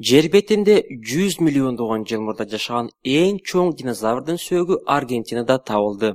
Жер бетинде 100 миллиондогон жыл мурда жашаган эң чоң динозаврдын сөөгү Аргентинада табылды.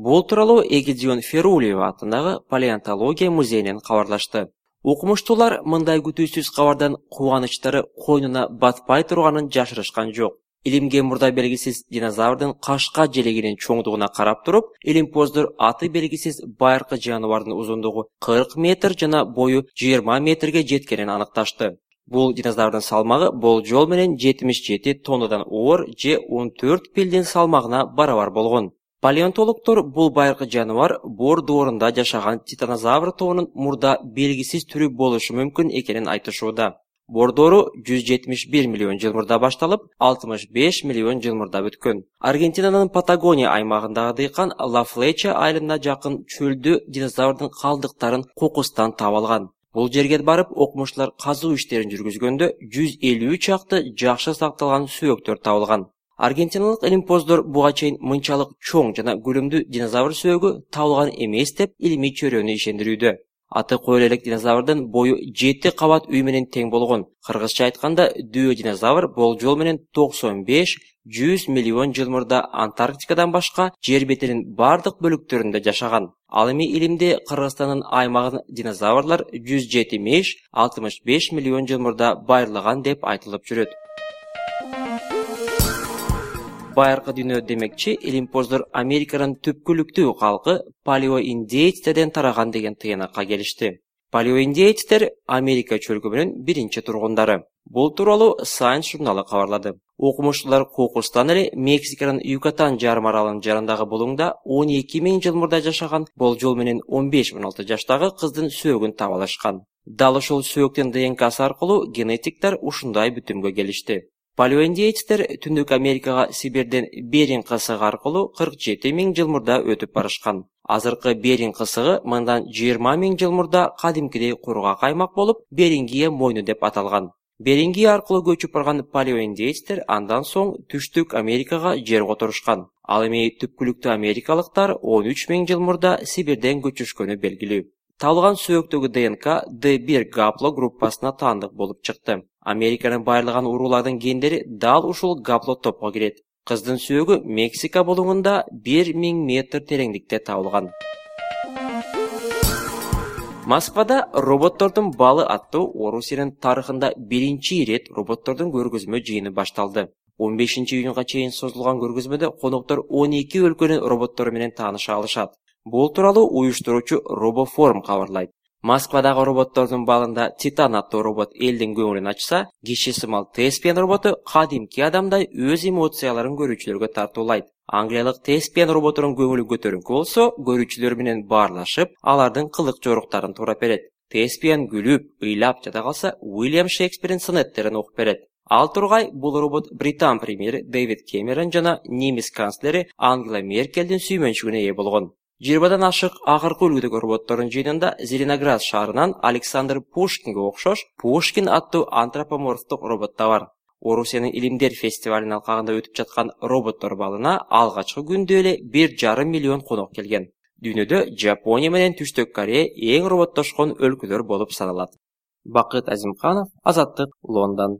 Бул тууралуу Эгидион Ферулиева атындагы палеонтология музейинен кабарлашты. Окумуштуулар мындай күтүүсүз кабардан кубанычтары койнуна батпай турганын жашырышкан жок. Илимге мурда белгисиз динозаврдын кашка желегинин чоңдугуна карап туруп, илимпоздор аты белгисиз байыркы жаныбардын узундугу 40 метр жана бою 20 метрге жеткенин аныкташты. Бул динозаврдын салмагы болжол менен 77 тоннадан оор же 14 пилдин салмагына барабар болгон. Палеонтологдор бул байыркы жаныбар Бор доорунда жашаган титанозавр тобунун мурда белгисиз түрү болушу мүмкүн экенин айтышууда. Бор доору 171 миллион жыл мурда башталып, 65 миллион жыл мурда бүткөн. Аргентинанын Патагония аймагындагы дыйкан Ла Флеча айылына жакын чөлдө динозаврдын калдыктарын кокустан таап алган. Бул жерге барып окумуштуулар казуу иштерин жүргүзгөндө 150 чакты жакшы сакталган сөөктөр табылган. Аргентиналык илимпоздор буга чейин мынчалык чоң жана көлөмдүү динозавр сөөгү табылган эмес деп илимий чөйрөнү ишендирүүдө. Аты коюла элек динозаврдын бою 7 кабат үй менен тең болгон. Кыргызча айтканда, дүйө динозавр болжол менен 95-100 миллион жыл мурда Антарктикадан башка жер бетинин бардык бөлүктөрүндө жашаган. Ал эми илимде Кыргызстандын аймагын динозаврлар 170-65 миллион жыл мурда байырлаган деп айтылып жүрөт. Байыркы дүйнө демекчи, илимпоздор Американын түпкүлүктүү калкы палеоиндеецтерден тараган деген тыйнакка келишти. Палеоиндеецтер Америка чөлкөмүнүн биринчи тургундары. Бул тууралуу Science журналы кабарлады. Окумуштуулар кокустан эле Мексиканын Юкатан жарым аралынын жарандагы булуңда 12 000 жыл мурда жашаган болжол менен 15-16 жаштагы кыздын сөөгүн таап алышкан. Дал ушул сөөктүн ДНКсы аркылуу генетиктер ушундай бүтүмгө келишти. Палеоиндеецтер Түндүк Америкага Сибирден Беринг кысыгы аркылуу 47 000 жыл мурда өтүп барышкан. Азыркы Беринг кысыгы мындан 20 000 жыл мурда кадимкидей кургак аймак болуп, Берингия мойну деп аталган. Берингия аркылуу көчүп барган палеоиндеецтер андан соң Түштүк Америкага жер которушкан. Ал эми түпкүлүктүү америкалыктар 13 000 жыл мурда Сибирден көчүшкөнү белгилүү. Табылган сөөктөгү ДНК D1 гапло группасына таандык болуп чыкты. Американын байырлаган уруулардын гендери дал ушул гапло топко кирет. Кыздын сөөгү Мексика булуңунда 1000 метр тереңдикте табылган. Москвада роботтордун балы аттуу Орусиянын тарыхында биринчи ирет роботтордун көргөзмө жыйыны башталды. 15 июнга чейин созулган көргөзмөдө коноктор 12 өлкөнүн роботтору менен тааныша алышат. Бул тууралуу уюштуруучу Робоформ кабарлайт. Москвадагы роботтордун балында Титан аттуу робот элдин көңүлүн ачса, киши сымал Теспиан роботу кадимки адамдай өз эмоцияларын көрүүчүлөргө тартуулайт. Англиялык Теспиан роботунун көңүлү көтөрүңкү болсо, көрүүчүлөр менен баарлашып, алардын кылык жоруктарын туурап берет. Теспиан күлүп, ыйлап жата калса, Уильям Шекспирдин сонеттерин окуп берет. Ал тургай бул робот Британ премьери Дэвид Кэмерон жана немис канцлери Ангела Меркелдин сүймөнчүгүнө ээ болгон. 20 ашык акыркы үлгүдөгү роботтордун жыйынында Зеленоград шаарынан Александр Пушкинге окшош Пушкин аттуу антропоморфтук робот да бар. Орусиянын илимдер фестивалынын алкагында өтүп жаткан роботтор балына алгачкы күндө эле 1,5 миллион конок келген. Дүйнөдө Жапония менен Түштүк Корея эң роботтошкон өлкөлөр болуп саналат. Бакыт Азимканов, Азаттык, Лондон.